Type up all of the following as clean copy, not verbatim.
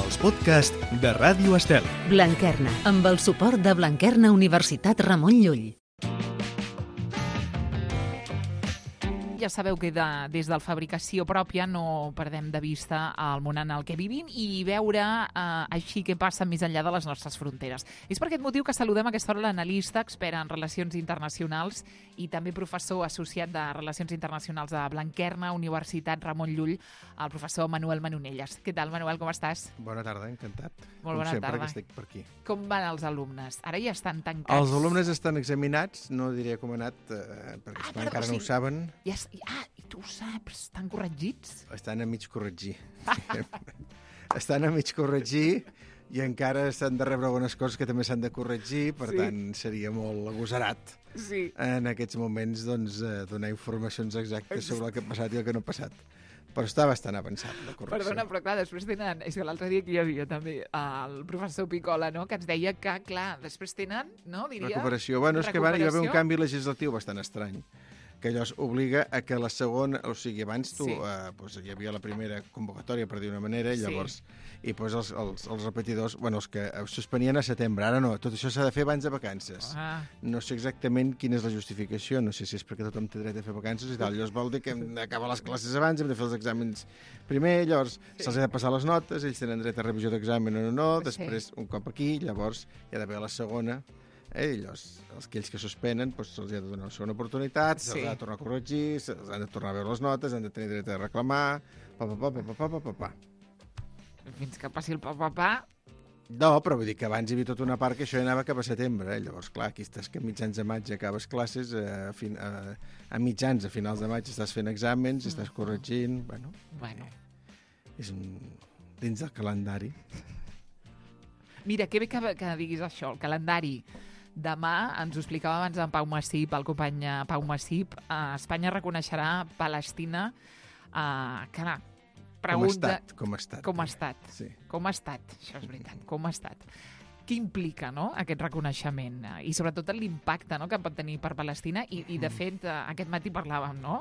els podcasts de Ràdio Estel. Blanquerna, amb el suport de Blanquerna Universitat Ramon Llull. Ja sabeu que des de la fabricació pròpia no perdem de vista el món en el que vivim i veure així què passa més enllà de les nostres fronteres. És per aquest motiu que saludem a aquesta hora l'analista, expert en relacions internacionals i també professor associat de Relacions Internacionals de Blanquerna, Universitat Ramon Llull, el professor Manuel Manonelles. Què tal, Manuel, com estàs? Bona tarda, encantat. Molt bona sempre tarda. que estic per aquí. Com van els alumnes? Ara ja estan tancats. Els alumnes estan examinats, no diré com ha anat, perquè encara no ho saben. I tu ho saps, estan corregits? Estan a mig corregir. Estan a mig corregir i encara s'han de rebre algunes coses que també s'han de corregir, per tant, seria molt agosarat en aquests moments donar informacions exactes sobre el que ha passat i el que no ha passat. Però està bastant avançat, la correcció. Perdona, però clar, després tenen... És que l'altre dia que hi havia també el professor Picola, no?, que ens deia que, clar, després tenen, no, diria... Recuperació. Bueno, és que hi va haver un canvi legislatiu bastant estrany, que allò obliga a que la segona... O sigui, abans tu... hi havia la primera convocatòria, per dir una manera, i llavors... I els repetidors... Bueno, els que suspenien a setembre. Ara no, tot això s'ha de fer abans de vacances. No sé exactament quina és la justificació, no sé si és perquè tothom té dret a fer vacances i tal. Llavors vol dir que hem d'acabar les classes abans, hem de fer els exàmens primer, llavors se'ls ha de passar les notes, ells tenen dret a revisió d'examen o no, després un cop aquí, llavors hi ha d'haver la segona. Llavors, aquells que suspenen se'ls ha de donar una segona oportunitat, se'ls ha de tornar a corregir, se'ls han de tornar a veure les notes, han de tenir dret a reclamar, Fins que passi el pa. No, però vull dir que abans hi havia tota una part que això ja anava cap a setembre. Llavors, clar, aquí estàs que a mitjans de maig acabes classes, a mitjans, a finals de maig estàs fent exàmens, estàs corregint... Bueno. És dins del calendari. Mira, que bé que diguis això, el calendari. Demà, ens ho explicava abans en Pau Massip, el company Pau Massip, Espanya reconeixerà Palestina, pregunta... Com ha estat. Sí. Com ha estat, això és veritat, com ha estat. Què implica, no?, aquest reconeixement? I sobretot l'impacte, no?, que pot tenir per Palestina. I de fet, aquest matí parlàvem, no?,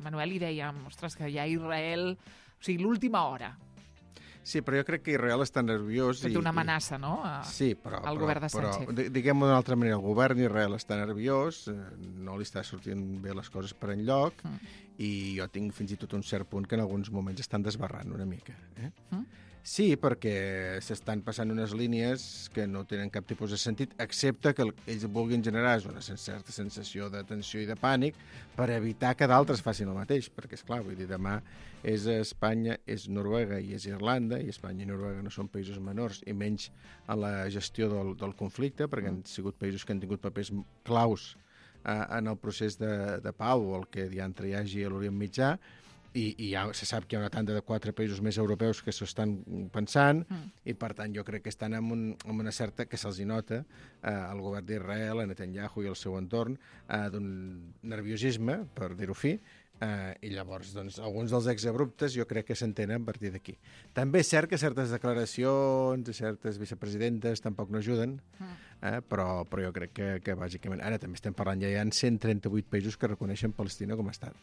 Manuel, i dèiem, ostres, que hi ha Israel... O sigui, l'última hora. Sí, però jo crec que Israel està nerviós. Fet una amenaça, no?, al govern de Sánchez. Però diguem-ho d'una altra manera, el govern d'Israel està nerviós, no li està sortint bé les coses per enlloc, i jo tinc fins i tot un cert punt que en alguns moments estan desbarrant una mica. Sí, perquè s'estan passant unes línies que no tenen cap tipus de sentit, excepte que ells vulguin generar una certa sensació de tensió i de pànic per evitar que d'altres facin el mateix, perquè, esclar, vull dir, demà és Espanya, és Noruega i és Irlanda, i Espanya i Noruega no són països menors, i menys en la gestió del conflicte, perquè han sigut països que han tingut papers claus en el procés de pau, el que diantre hi hagi a l'Orient Mitjà, i ja se sap que hi ha una tanda de 4 països més europeus que s'ho estan pensant, i per tant jo crec que estan amb una certa, que se'ls nota al govern d'Israel, a Netanyahu i al seu entorn, d'un nerviosisme, per dir-ho fi, i llavors alguns dels exabruptes jo crec que s'entenen a partir d'aquí. També és cert que certes declaracions de certes vicepresidentes tampoc no ajuden, però jo crec que bàsicament... Ara també estem parlant, ja hi ha 138 països que reconeixen Palestina com a estat.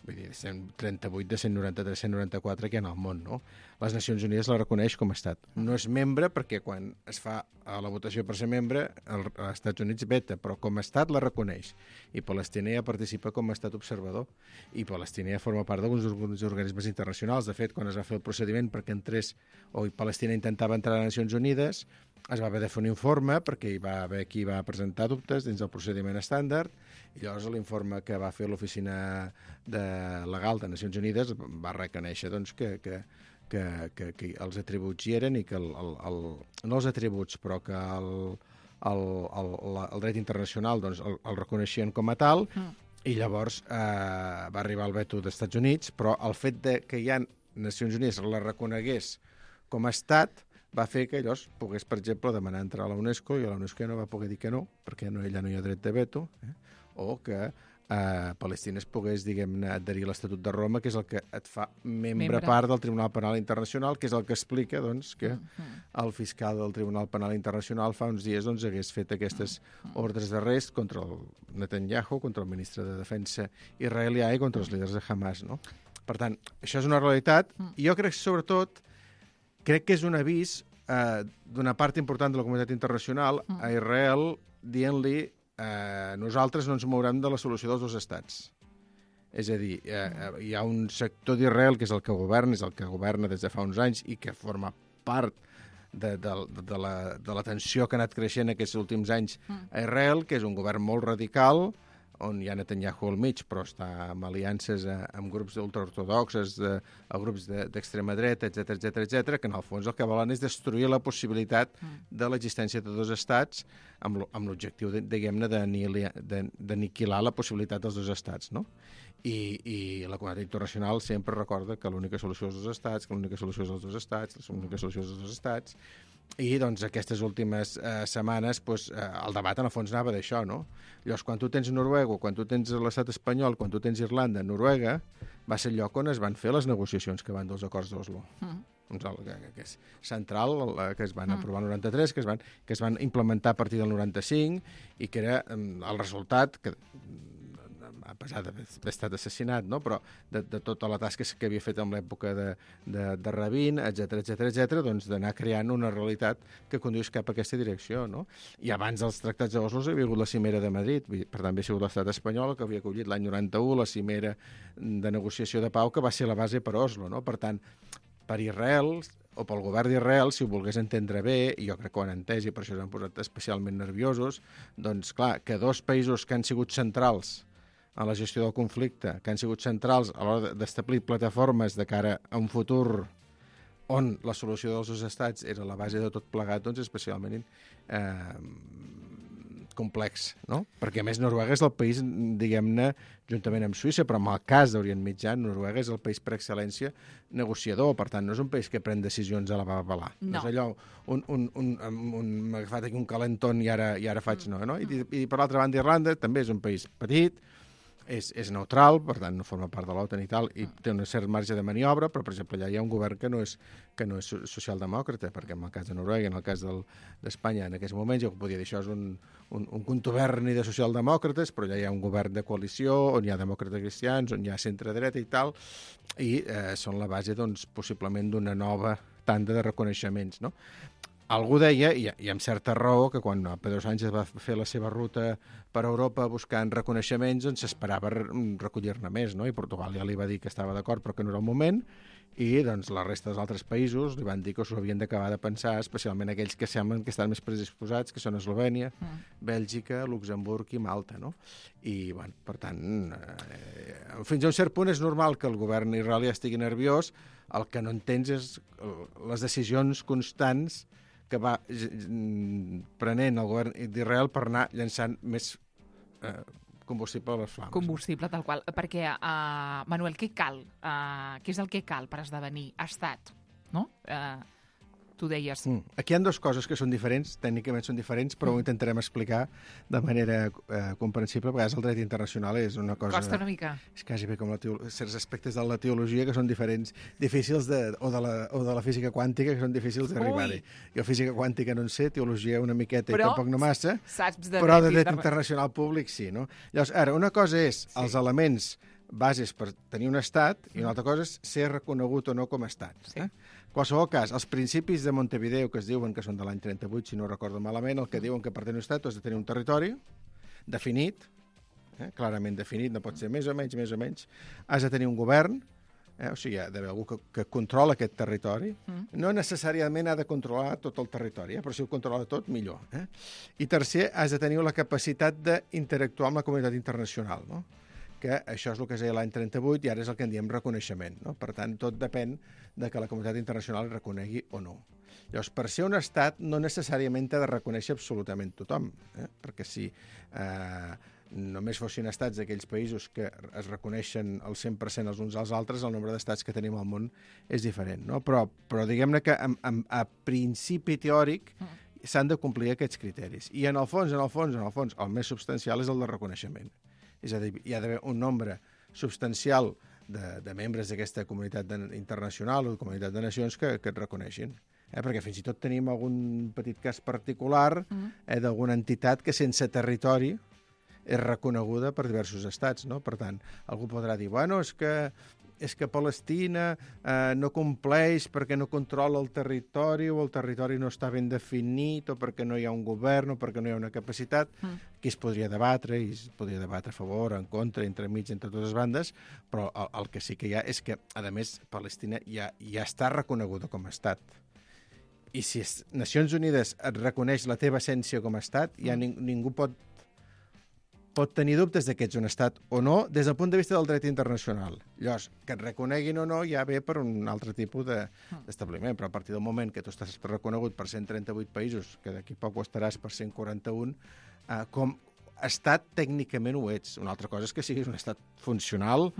Vull dir, 138 de 193, 194 que hi ha al món, no? Les Nacions Unides la reconeix com a estat. No és membre perquè quan es fa la votació per ser membre, els Estats Units veta, però com a estat la reconeix. I Palestina ja participa com a estat observador. I Palestina ja forma part d'alguns organismes internacionals. De fet, quan es va fer el procediment perquè Palestina intentava entrar a les Nacions Unides, es va haver de fer un informe perquè hi va haver qui va presentar dubtes dins del procediment estàndard, i llavors l'informe que va fer l'oficina legal de Nacions Unides va reconèixer que els atributs hi eren i que no els atributs, però que el dret internacional el reconeixien com a tal, i llavors va arribar el veto dels Estats Units, però el fet que hi ha Nacions Unides la reconegués com a estat va fer que llavors pogués, per exemple, demanar entrar a la UNESCO, i a la UNESCO ja no va poder dir que no, perquè ella no hi ha dret de veto, o que Palestina es pogués, diguem-ne, adherir a l'Estatut de Roma, que és el que et fa membre part del Tribunal Penal Internacional, que és el que explica que el fiscal del Tribunal Penal Internacional fa uns dies hagués fet aquestes ordres d'arrest contra el Netanyahu, contra el ministre de Defensa israelià i contra els líders de Hamas, no? Per tant, això és una realitat, i jo crec que, sobretot, crec que és un avís d'una part important de la comunitat internacional a Israel dient-li nosaltres no ens mourem de la solució dels dos estats. És a dir, hi ha un sector d'Israel que és el que governa des de fa uns anys i que forma part de la tensió que ha anat creixent aquests últims anys a Israel, que és un govern molt radical, on hi ha Netanyahu al mig, però està amb aliances amb grups ultraortodoxes, grups d'extrema dreta, etc, que en el fons el que volen és destruir la possibilitat de l'existència de dos estats amb l'objectiu, diguem-ne, d'aniquilar la possibilitat dels dos estats, no? I la comunitat internacional sempre recorda que l'única solució és els dos estats, que l'única solució és els dos estats, l'única solució és els dos estats. I, doncs, aquestes últimes setmanes, el debat, en el fons, anava d'això, no? Llavors, quan tu tens Noruega, quan tu tens l'estat espanyol, quan tu tens Irlanda, Noruega, va ser el lloc on es van fer les negociacions que van dels acords d'Oslo. Que és central, que es van aprovar el 93, que es van implementar a partir del 95, i que era el resultat que, a pesar d'haver estat assassinat, no? Però de tota la tasca que havia fet en l'època de Rabin, etc, doncs d'anar creant una realitat que conduís cap a aquesta direcció, no? I abans dels tractats d'Oslo hi havia hagut la cimera de Madrid, per tant havia sigut l'estat espanyol que havia acollit l'any 91 la cimera de negociació de pau, que va ser la base per Oslo, no? Per tant, per Israel, o pel govern d'Israel, si ho volgués entendre bé, i jo crec que ho han entès i per això s'han posat especialment nerviosos, doncs clar, que dos països que han sigut centrals a la gestió del conflicte, que han sigut centrals a l'hora d'establir plataformes de cara a un futur on la solució dels dos estats era la base de tot plegat, doncs especialment complex, no? Perquè, a més, Noruega és el país, diguem-ne, juntament amb Suïssa, però en el cas d'Orient Mitjà, Noruega és el país per excel·lència negociador, per tant, no és un país que pren decisions a la babalà. No és allò, m'ha agafat aquí un calentón i ara faig no? I per l'altra banda, Irlanda també és un país petit, és neutral, per tant no forma part de l'OTAN i tal, i té un cert marge de maniobra, però, per exemple, allà hi ha un govern que no és socialdemòcrata, perquè en el cas de Noruega, en el cas d'Espanya, en aquests moments, jo podria dir això és un contuberni de socialdemòcrates, però allà hi ha un govern de coalició, on hi ha demòcrates cristians, on hi ha centre-dreta i tal, i són la base, doncs, possiblement d'una nova tanda de reconeixements, no? Algú deia, i amb certa raó, que quan Pedro Sánchez va fer la seva ruta per Europa buscant reconeixements, doncs s'esperava recollir-ne més, no? I Portugal ja li va dir que estava d'acord, però que no era el moment, i doncs la resta dels altres països li van dir que s'ho havien d'acabar de pensar, especialment aquells que semblen que estan més predisposats, que són Eslovènia, Bèlgica, Luxemburg i Malta, no? I, bueno, per tant, fins a un cert punt és normal que el govern israelià estigui nerviós, el que no entens és les decisions constants que va prenent el govern d'Israel per anar llançant més combustible a les flames. Combustible, tal qual. Perquè, Manuel, què cal? Què és el que cal per esdevenir estat? No? Tu deies... Aquí hi ha dues coses que són diferents, tècnicament són diferents, però ho intentarem explicar de manera comprensible. A vegades el dret internacional és una cosa... Costa una mica. És quasi bé com certs aspectes de la teologia que són diferents, difícils o de la física quàntica que són difícils d'arribar-hi. Jo física quàntica no en sé, teologia una miqueta i tampoc no massa, però de dret internacional públic sí, no? Llavors, ara, una cosa és els elements bases per tenir un estat i una altra cosa és ser reconegut o no com a estat. En qualsevol cas, els principis de Montevideo, que es diuen que són de l'any 38, si no recordo malament, el que diuen que per tenir un estat has de tenir un territori definit, clarament definit, no pot ser més o menys, has de tenir un govern, o sigui, hi ha d'haver algú que controla aquest territori, no necessàriament ha de controlar tot el territori, però si ho controla tot, millor. I tercer, has de tenir la capacitat d'interactuar amb la comunitat internacional, no? Que això és el que es deia l'any 38 i ara és el que en diem reconeixement, no? Per tant, tot depèn de que la comunitat internacional reconegui o no. Llavors, per ser un estat no necessàriament t'ha de reconèixer absolutament tothom, perquè si només fossin estats d'aquells països que es reconeixen al 100% els uns als altres, el nombre d'estats que tenim al món és diferent, no? Però diguem-ne que a principi teòric s'han de complir aquests criteris. I en el fons, el més substancial és el de reconeixement. És a dir, hi ha d'haver un nombre substancial de membres d'aquesta comunitat internacional o de comunitat de nacions que et reconeixin. Perquè fins i tot tenim algun petit cas particular d'alguna entitat que sense territori és reconeguda per diversos estats, no? Per tant, algú podrà dir, bueno, és que és que Palestina no compleix perquè no controla el territori o el territori no està ben definit o perquè no hi ha un govern o perquè no hi ha una capacitat. Aquí es podria debatre i es podria debatre a favor, en contra, entremig, entre totes les bandes, però el que sí que hi ha és que, a més, Palestina ja està reconeguda com a estat. I si Nacions Unides et reconeix la teva essència com a estat, ja ningú pot tenir dubtes de que ets un estat o no des del punt de vista del dret internacional. Llavors, que et reconeguin o no ja ve per un altre tipus d'establiment, però a partir del moment que tu estàs reconegut per 138 països, que d'aquí poc ho estaràs per 141, com estat tècnicament ho ets. Una altra cosa és que siguis un estat funcional,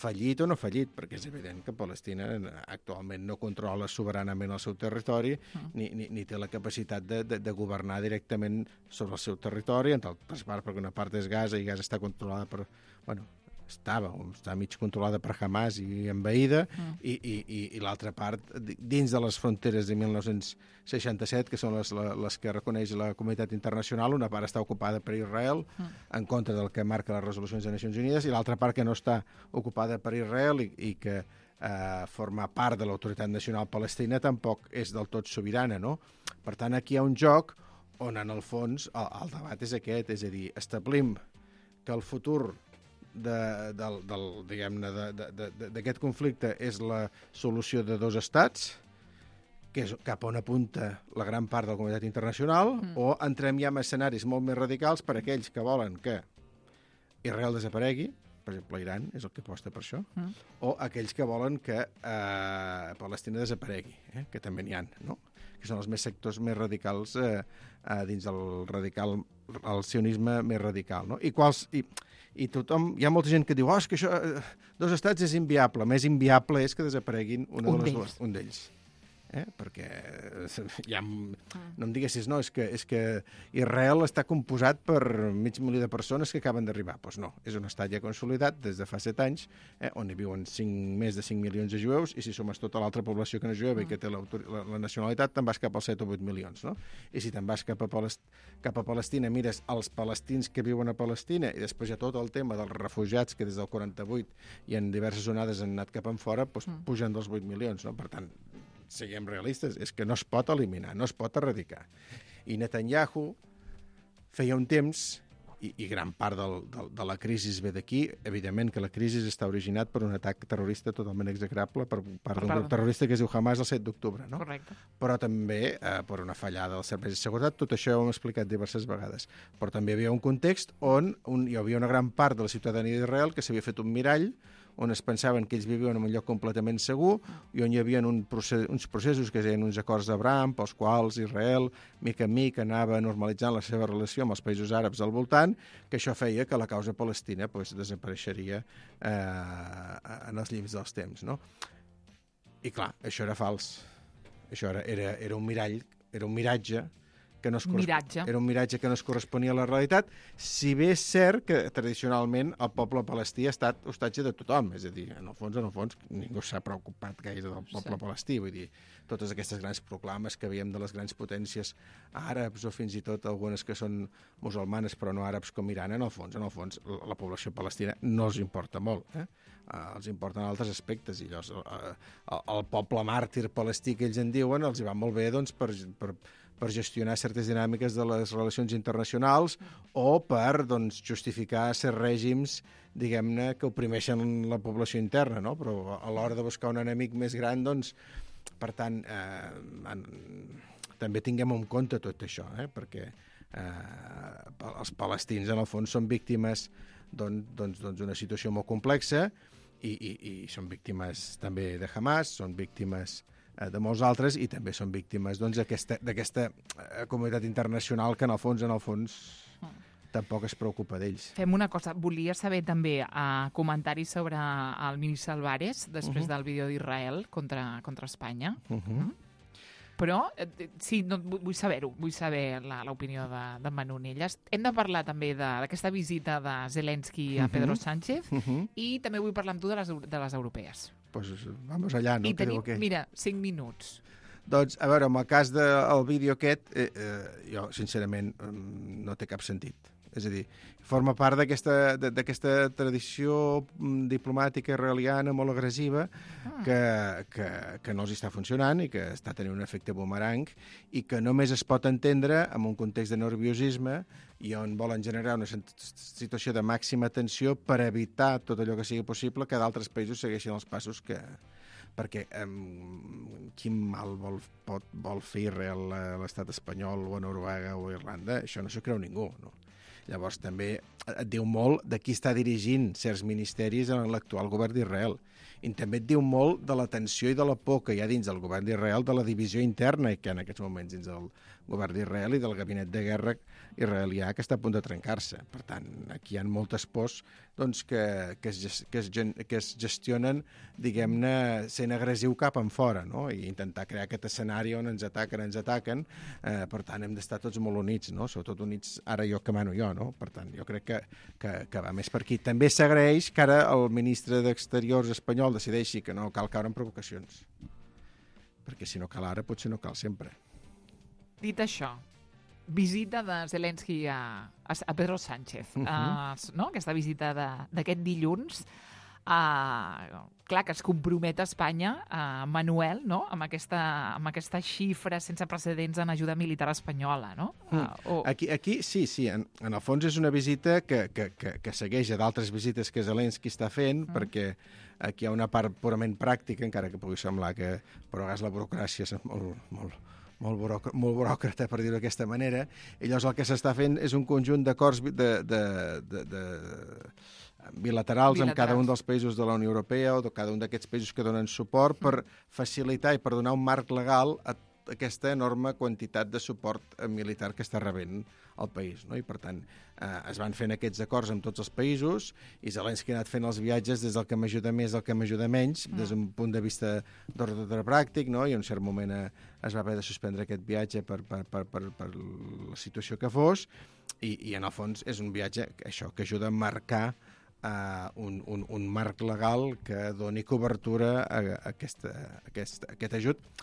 fallit o no fallit, perquè és evident que Palestina actualment no controla soberanament el seu territori ni té la capacitat de governar directament sobre el seu territori, en altres parts, perquè una part és Gaza i Gaza està controlada per... Bueno, està mig controlada per Hamas i envaïda, i l'altra part, dins de les fronteres de 1967, que són les que reconeix la comunitat internacional, una part està ocupada per Israel, en contra del que marca les resolucions de Nacions Unides, i l'altra part que no està ocupada per Israel i que forma part de l'autoritat nacional palestina tampoc és del tot sobirana, no? Per tant, aquí hi ha un joc on, en el fons, el debat és aquest, és a dir, establim que el futur d'aquest conflicte és la solució de dos estats, que és cap on apunta la gran part de la comunitat internacional, o entrem ja en escenaris molt més radicals per aquells que volen que Israel desaparegui, per exemple, Iran és el que aposta per això, o aquells que volen que Palestina desaparegui, que també n'hi ha, no? Que són els sectors més radicals dins el sionisme més radical, no? I tothom, hi ha molta gent que diu és que això, dos estats és inviable. Més inviable és que desapareguin un d'ells. Perquè no em diguessis, no, és que Israel està composat per 500.000 de persones que acaben d'arribar. Doncs no, és un estat ja consolidat des de fa 7 anys, on hi viuen més de 5 milions de jueus, i si sumes tota l'altra població que no és jueva i que té la nacionalitat, te'n vas cap als 7 o 8 milions, no? I si te'n vas cap a Palestina, mires els palestins que viuen a Palestina, i després hi ha tot el tema dels refugiats que des del 48 i en diverses onades han anat cap enfora, doncs pugen dels 8 milions, no? Per tant, siguem realistes, és que no es pot eliminar, no es pot erradicar. I Netanyahu feia un temps, i gran part de la crisi ve d'aquí, evidentment que la crisi està originat per un atac terrorista totalment execrable per part d'un grup terrorista que es diu Hamas el 7 d'octubre, no? Correcte. Però també per una fallada dels serveis de seguretat, tot això ho hem explicat diverses vegades. Però també hi havia un context on hi havia una gran part de la ciutadania d'Israel que s'havia fet un mirall, on es pensaven que ells vivien en un lloc completament segur i on hi havia uns processos que es deien uns acords d'Abraham, pels quals Israel, mica en mica, anava normalitzant la seva relació amb els països àrabs al voltant, que això feia que la causa palestina desapareixeria en els llimbs dels temps, no? I clar, això era fals. Això era un mirall, era un miratge, era un miratge que no es corresponia a la realitat, si bé és cert que tradicionalment el poble palestí ha estat hostatge de tothom, és a dir, en el fons, ningú s'ha preocupat gaire del poble palestí, vull dir, totes aquestes grans proclames que veiem de les grans potències àrabs o fins i tot algunes que són musulmanes però no àrabs com Iran, en el fons, la població palestina no els importa molt, els importen altres aspectes, i llavors el poble màrtir palestí que ells en diuen els hi va molt bé doncs, per gestionar certes dinàmiques de les relacions internacionals o per justificar certs règims, diguem-ne, que oprimeixen la població interna, no? Però a l'hora de buscar un enemic més gran, doncs, per tant, també tinguem en compte tot això, perquè els palestins, en el fons, són víctimes d'una situació molt complexa i són víctimes també de Hamas, són víctimes de molts altres, i també són víctimes d'aquesta comunitat internacional que en el fons tampoc es preocupa d'ells. Fem una cosa, volia saber també comentaris sobre el ministre Álvarez després del vídeo d'Israel contra Espanya. Però sí, vull saber-ho, vull saber l'opinió d'en Manu Nelles. Hem de parlar també d'aquesta visita de Zelensky a Pedro Sánchez i també vull parlar amb tu de les europees. Pues vamos allà, no? I tenim, mira, 5 minuts. Doncs, a veure, amb el cas del vídeo aquest, jo, sincerament, no té cap sentit. És a dir, forma part d'aquesta tradició diplomàtica israeliana molt agressiva que no els està funcionant i que està tenint un efecte bumerang i que només es pot entendre en un context de nerviosisme i on volen generar una situació de màxima tensió per evitar tot allò que sigui possible que d'altres països segueixin els passos que... Perquè quin mal vol fer Israel a l'estat espanyol o a Noruega o a Irlanda? Això no s'ho creu ningú, no? Llavors també et diu molt de qui està dirigint certs ministeris en l'actual govern d'Israel. I també et diu molt de la tensió i de la por que hi ha dins del govern d'Israel, de la divisió interna que hi ha en aquests moments dins del govern d'Israel i del gabinet de guerra israelià que està a punt de trencar-se. Per tant, aquí hi ha moltes pors doncs, que es gestionen, diguem-ne, sent agressiu cap en fora, no? I intentar crear aquest escenari on ens ataquen. Per tant, hem d'estar tots molt units, no? Sobretot units ara jo que mano jo, no? Per tant, jo crec que va més per aquí. També s'agraeix que ara el ministre d'Exteriors espanyol decideixi que no cal caure en provocacions. Perquè si no cal ara, potser no cal sempre. Dit això, visita de Zelensky a Pedro Sánchez, no? Aquesta visita d'aquest dilluns, clar que es compromet a Espanya, Manuel, no? amb aquesta xifra sense precedents en ajuda militar espanyola, no? Aquí sí, en el fons és una visita que segueix a d'altres visites que Zelensky està fent, perquè aquí hi ha una part purament pràctica, encara que pugui semblar que però a vegades la burocràcia és molt buròcrata, per dir-ho d'aquesta manera, i llavors el que s'està fent és un conjunt d'acords bilaterals amb cada un dels països de la Unió Europea o de cada un d'aquests països que donen suport per facilitar i per donar un marc legal a aquesta enorme quantitat de suport militar que està rebent el país, no? I per tant es van fent aquests acords amb tots els països i Zelensky ha anat fent els viatges des del que m'ajuda més al que m'ajuda menys, des d'un punt de vista d'ordre pràctic, no? I en un cert moment es va haver de suspendre aquest viatge per la situació que fos i en el fons és un viatge que ajuda a marcar un marc legal que doni cobertura a aquest ajut,